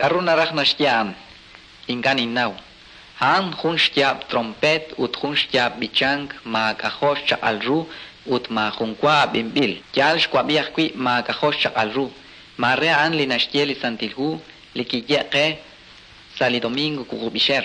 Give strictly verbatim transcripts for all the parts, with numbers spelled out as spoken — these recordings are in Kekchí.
K'a'ru naraj naxye a'an? Ink'a' ninnaw. A'an jun xyaab' trompeet ut jun xyaab' b'ichank maak'ajo' xchaq'al ru ut maajun wa ab'inb'il. Yaal xwab'i ajwi' maak'ajo' xchaq'al ru. Maare a'an li naxye li Santil Hu li kiye' qe sa' li domingo wuqub'ixer.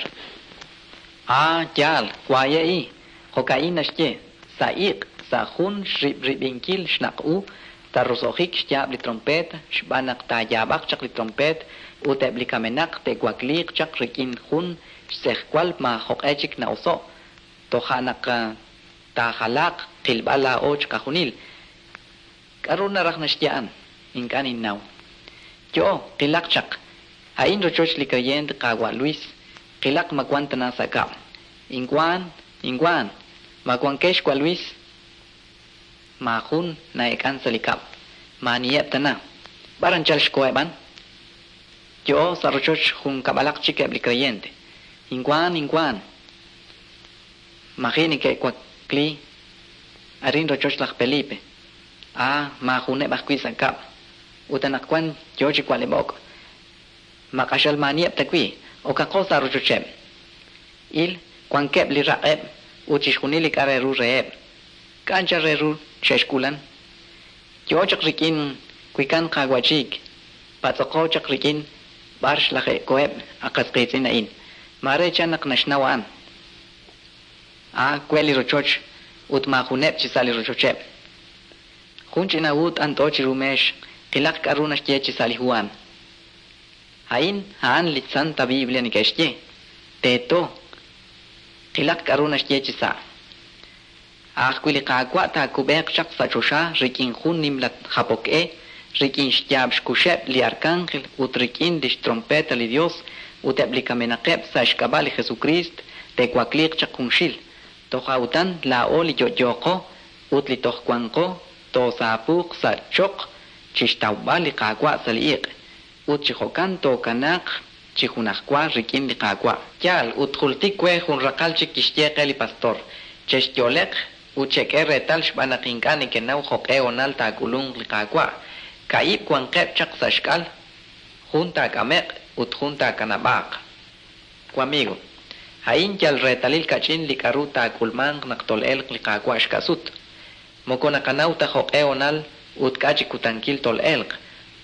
Ah, yaal, waye'i. Jo'ka'in naxye, sa' iq', sa' jun xrib'rib'inkil xnaq' u, taroso'jik xyaab' li trompeet, xb'aan naq taayaab'aq chaq li trompeet ut eb' li kamenaq te'wakliiq chaq rik'in jun xtz'ejwal maajoq'e chik na'oso', toja' naq taajalaaq qilb'al laa'o chiqajunil. K'a'ru naraj naxye a'an? Ink'a' ninnaw. Yo'o, qilaq chaq. A'in rochoch li creyente Qaawa' Luis. Qilaq ma wan tana sa' kab'. Inwan, inwan. Ma wankex wa Luis? Maajun na'eek'an sa' li kab'. Maaniheb' tana. B'ar anchal xkoheb' Yo'o sa' rochoch jun kab'alaq chik eb' li creyente. Inwan, inwan. Maji neke'wakli arin rochoch laj Felipe. Ah, maajuneb' ajwi' sa' kab'. Ut anaqwan yo chi wa'leb'ok'. Ma q'axal maaniheb' ta wi', okaqo sa' rochocheb'. Il, wankeb' li raq'eb' ut chixjunil li k'a' re ru reheb'. K'a' anchal re ru xe'xk'ulan. Yo chaq rik'in wikan qawachik. Patz'oqo chaq rik'in b'ar xlaje'koheb' aqas qiitz'in a'in. Maare chan naq naxnaw a'an. Ah, we li rochoch ut maajuneb' chi sa' li rochocheb'. Jun ch'ina hu t'ant'o chiru meex, qilaq k'a'ru naxye chi sa' li hu a'an. A'in a'an li Santa Biblia neke'xye. Teeto. Qilaq k'a'ru naxye chi sa'. Ajwi' li Qaawa' taakub'eeq chaq sa' choxa rik'in jun nimla japok-e, rik'in xyaab' xkuxeb' li arcángel ut rik'in lix trompeta li Dios ut eb' li kamenaqeb' sa' xk'ab'a' li Jesucrist te'wakliiq chaq junxil. Toja' utan laa'o li yo'yoqo ut li toj wanqo toosaapuuq sa' choq chixtawb'al li Qaawa' sa' li iq'. Ut chi jo'kan tookanaaq chi junajwa rik'in li Qaawa'. Yaal, ut jultik we jun raqal chik kixye qe li pastor. Chexyo'leq ut chek'e reetal xb'aan naq ink'a' nekenaw jo'q'e honal taak'ulunq li Qaawa'. Ka'ib' wanqeb' chaq sa' xk'al, jun taak'ame'q ut jun taakanab'aaq. Wamigo, a'in yal reetalil kach'in li k'a'ru taak'ulmanq naq tol'elq li Qaawa' xka'sut. Moko naqanaw ta jo'q'e honal ut k'a' chi kutankil tol'elq.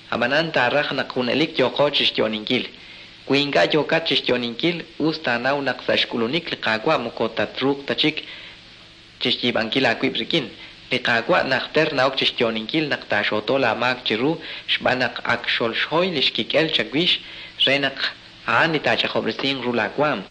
Ab'anan taaraj naq junelik yooqo chixyo'ninkil. Wi ink'a' yookat chixyo'ninkil, us taanaw naq sa' xk'ulunik li Qaawa' moko tatruuq ta chik chixyiib'ankil aawib' rik'in. Li Qaawa' najter na'ok chixyo'ninkil naq taaxooto laamaak chiru xb'aan naq ak xolxhoy li xkik'el chawix re naq a'an li taach'ajob'resinq ru laawaam.